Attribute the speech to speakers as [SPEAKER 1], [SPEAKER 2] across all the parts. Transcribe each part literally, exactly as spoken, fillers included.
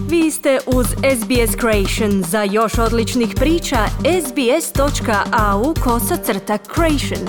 [SPEAKER 1] Vi ste uz S B S Creation. Za još odličnih priča, sbs.au kosacrta creation.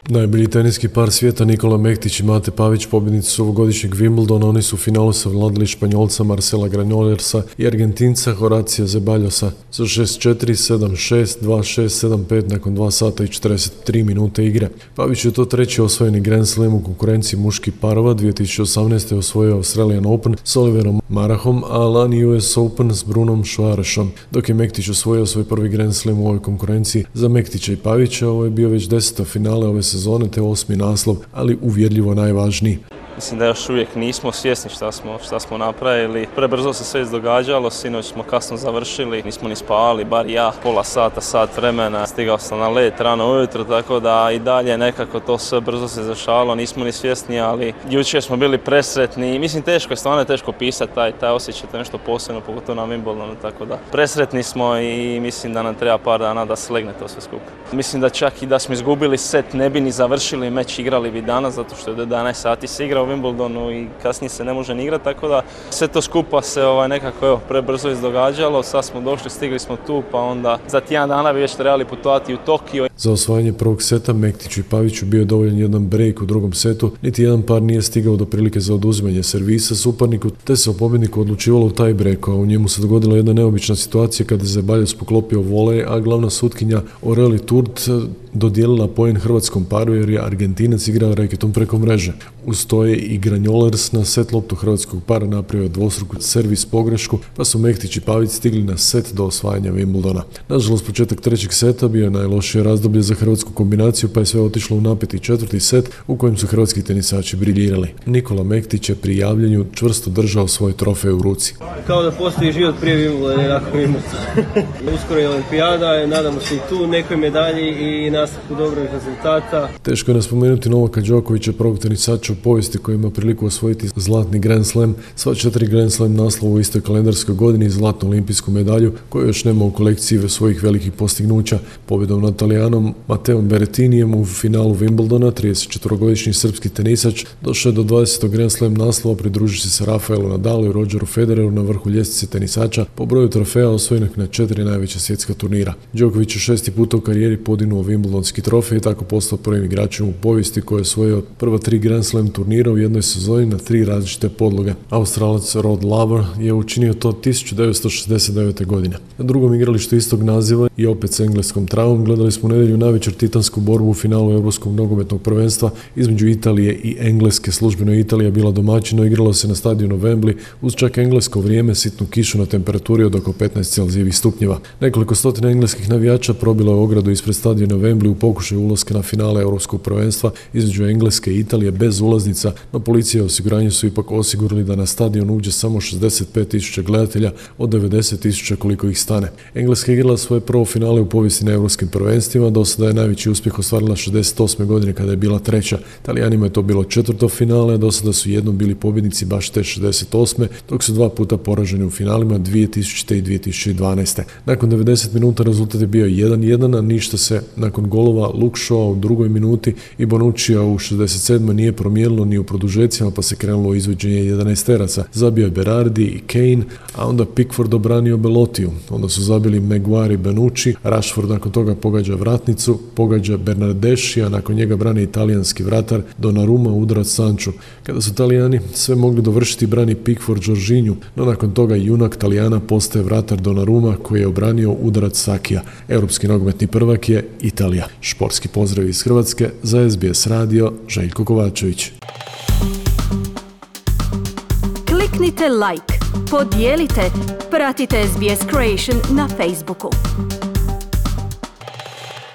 [SPEAKER 2] Najbolji teniski par svijeta Nikola Mektić i Mate Pavić pobjednici su ovogodišnjeg Wimbledona. Oni su u finalu savladali Španjolca Marcela Granollesa i Argentinca Horacija Zeballosa za šest četiri, sedam šest, dva šest, sedam pet nakon dva sata i četrdeset tri minute igre. Pavić je to treći osvojeni Grand Slam u konkurenciji muških parova. dvije tisuće osamnaeste. osvojio Australian Open s Oliverom Marahom, a lani U S Open s Brunom Šuarešom. Dok je Mektić osvojio svoj prvi Grand Slam u ovoj konkurenciji, za Mektića i Pavića ovo je bio već deseta finale ove sezone te osmi naslov, ali uvjerljivo najvažniji.
[SPEAKER 3] Mislim da još uvijek nismo svjesni šta smo, šta smo napravili. Prebrzo se sve izdogađalo, sinoć smo kasno završili, nismo ni spavali, bar ja, pola sata, sat vremena. Stigao sam na let rano ujutro, tako da i dalje nekako to sve brzo se zašalo, nismo ni svjesni, ali jučer smo bili presretni. Mislim, teško je, stvarno je teško pisati taj, taj osjećaj, to je nešto posebno, pogotovo na Wimbledonu, tako da presretni smo i mislim da nam treba par dana da slegne to sve skupa. Mislim da čak i da smo izgubili set, ne bi ni završili meč, igrali bi danas, zato što je do jedanaest sati se igra u Wimbledonu i kasnije se ne može ni igrati, tako da sve to skupa se ovaj, nekako evo, prebrzo izdogađalo. Sad smo došli, stigli smo tu, pa onda za tjedan dana bi već trebali putovati u Tokio.
[SPEAKER 2] Za osvajanje prvog seta Mektiću i Paviću bio je dovoljan jedan break u drugom setu, niti jedan par nije stigao do prilike za oduzimanje servisa suparniku, te se o pobjedniku odlučivalo u taj break, a u njemu se dogodila jedna neobična situacija kada je Zeballos poklopio volej, a glavna sutkinja Aurélie Tourt dodijelila poen hrvatskom paru jer je Argentinac igrao reketom preko mreže. Uz to je i Granollers na set loptu hrvatskog para napravio dvostruku servis pogrešku, pa su Mektić i Pavić stigli na set do osvajanja Wimbledona. Nažalost, početak trećeg seta bio je najlošije razdoblje za hrvatsku kombinaciju, pa je sve otišlo u napeti četvrti set u kojem su hrvatski tenisači briljirali. Nikola Mektić je pri javljanju čvrsto držao svoj trofej u ruci.
[SPEAKER 4] Kao da postoji život prije Wimbledona i nakon Wimbledona. Uskoro je olimpijada, nadamo se i tu nekoj medalji i nastavku dobrih rezultata.
[SPEAKER 2] Teško je naspomenuti Novaka Đokovića, prvog tenisača u povijesti koji ima priliku osvojiti zlatni Grand Slam, sva četiri Grand Slam naslova u istoj kalendarskoj godini i zlatnu olimpijsku medalju koju još nema u kolekciji svojih velikih postignuća. Pobjedom nad Talijanom Mateom Berrettinijem u finalu Wimbledona, tridesetčetvorogodišnji srpski tenisač došao je do dvadesetog Grand Slam naslova, pridruživši se Rafaelu Nadalu i Rogeru Federeru na vrhu ljestvice tenisača po broju trofeja osvojenih na četiri najveća svjetska turnira. Đoković je šesti puta u karijeri podignuo Wimbledonski trofej i tako postao prvim igračem u povijesti koji je osvojio prva tri Grand Slam turnira u jednoj sezoni na tri različite podloge. Australac Rod Laver je učinio to tisuću devetsto šezdeset devete. godine. Na drugom igralištu istog naziva i opet s engleskom travom gledali smo u nedjelju navečer titansku borbu u finalu Europskog nogometnog prvenstva između Italije i Engleske. Službeno Italija bila domaćino, igralo se na stadionu Wembley uz čak englesko vrijeme, sitnu kišu na temperaturi od oko petnaest celzijevih stupnjeva. Nekoliko stotina engleskih navijača probilo je ogradu ispred stadiona Wembley u pokušaju ulaska na finale Europskog prvenstva između Engleske i Italije bez ulaznica, no policija i osiguranje su ipak osigurali da na stadion uđe samo šezdeset pet tisuća gledatelja od devedeset tisuća koliko ih stane. Engleska je igrala svoje prvo finale u povijesti na europskim prvenstvima, do sada je najveći uspjeh ostvarila šezdeset osme. godine kada je bila treća. Talijanima je to bilo četvrto finale, do sada su jednom bili pobjednici baš te šezdeset osme. dok su dva puta poraženi u finalima dvije tisućite. i dvije tisuće dvanaeste. Nakon devedeset minuta rezultat je bio jedan jedan, a ništa se nakon golova Luke Shaw u drugoj minuti i Bonuccija u šezdeset sedmoj nije promijenilo ni u produžecima, pa se krenulo u izvođenje jedanaesteraca. Zabio je Berardi i Kane, a onda Pickford obranio Belotiju. Onda su zabili Maguire i Bonucci, Rashford nakon toga pogađa vratnicu, pogađa Bernardeschi, a nakon njega brani italijanski vratar Donnarumma udarac Sanchu. Kada su Talijani sve mogli dovršiti, brani Pickford Jorginhu, no nakon toga junak Talijana postaje vratar Donnarumma koji je obranio udarac Sakija. Europski nogometni prvak je Italija. Športski pozdrav iz Hrvatske za S B S radio, Željko Kovačević.
[SPEAKER 1] Kliknite like, podijelite, pratite S B S Creation na Facebooku.